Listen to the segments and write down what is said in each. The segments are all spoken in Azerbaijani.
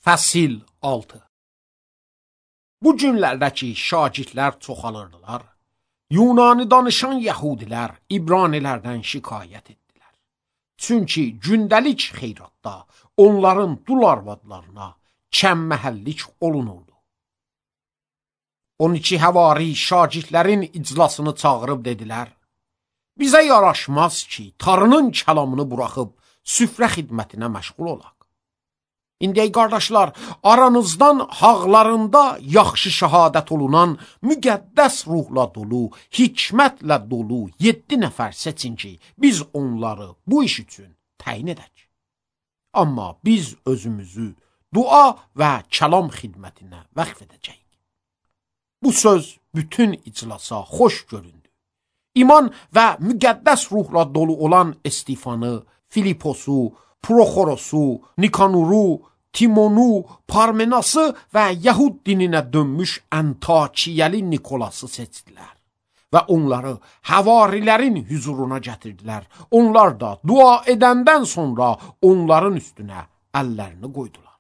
Fəsil 6. Bu günlərdəki şagirdlər çoxalırdılar. Yunani danışan yəhudilər İbranilərdən şikayət etdilər. Çünki gündəlik xeyratda onların dul arvadlarına kəmməhəllik olunurdu. 12 həvari şagirdlərin iclasını çağırıb dedilər: Bizə yaraşmaz ki, Tanrının kəlamını buraxıb süfrə xidmətinə məşğul olaq. İndi ey qardaşlar, aranızdan haqlarında yaxşı şəhadət olunan, müqəddəs ruhla dolu, hikmətlə dolu 7 nəfər seçin ki, biz onları bu iş üçün təyin edək. Amma biz özümüzü dua və kəlam xidmətinə vəqf edəcəyik. Bu söz bütün iclasa xoş göründü. İman və müqəddəs ruhla dolu olan Estifanı, Filiposu, Proxorosu, Nikanuru, Timonu, Parmenası və Yahud dininə dönmüş Antakiyəli Nikolası seçdilər və onları həvarilərin hüzuruna gətirdilər. Onlar da dua edəndən sonra onların üstünə əllərini qoydular.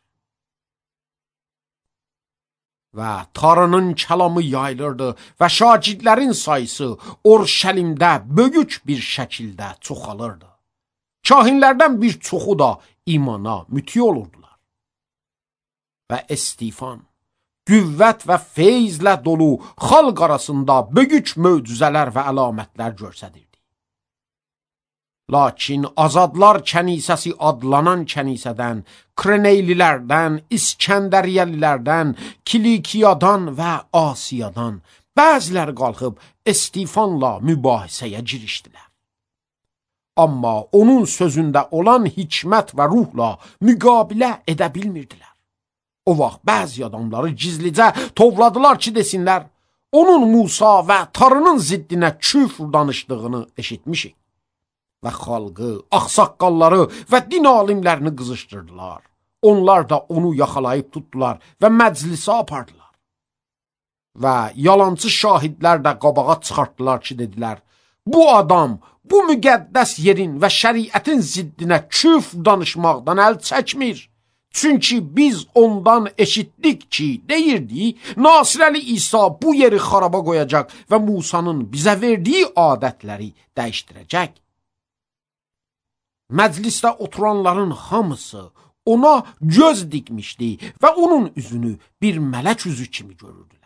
Və Tanrının kəlamı yayılırdı və şagirdlərin sayısı Orşəlimdə böyük bir şəkildə çoxalırdı. Kahinlərdən bir çoxu da imana müti olurdular. Və Estifan qüvvət və feyzlə dolu xalq arasında böyük möcüzələr və əlamətlər göstərirdi. Lakin Azadlar kənisəsi adlanan kənisədən, Kreneylilərdən, İskəndəriyəlilərdən, Kilikiyadan və Asiyadan bəziləri qalxıb Estifanla mübahisəyə girişdilər. Amma onun sözündə olan hikmət və ruhla müqabilə edə bilmirdilər. O vaxt bəzi adamları gizlicə tovladılar ki, desinlər, onun Musa və Tanrının ziddinə küfr danışdığını eşitmişik. Və xalqı, ağsaqqalları və din alimlərini qızışdırdılar. Onlar da onu yaxalayıb tutdular və məclisə apardılar. Və yalancı şahidlər də qabağa çıxartdılar ki, dedilər, bu adam bu müqəddəs yerin və şəriətin ziddinə küfr danışmaqdan əl çəkmir. Çünki biz ondan eşitdik ki, deyirdi, Nasirəli İsa bu yeri xaraba qoyacaq və Musanın bizə verdiyi adətləri dəyişdirəcək. Məclisdə oturanların hamısı ona göz dikmişdi və onun üzünü bir mələk üzü kimi görürdülər.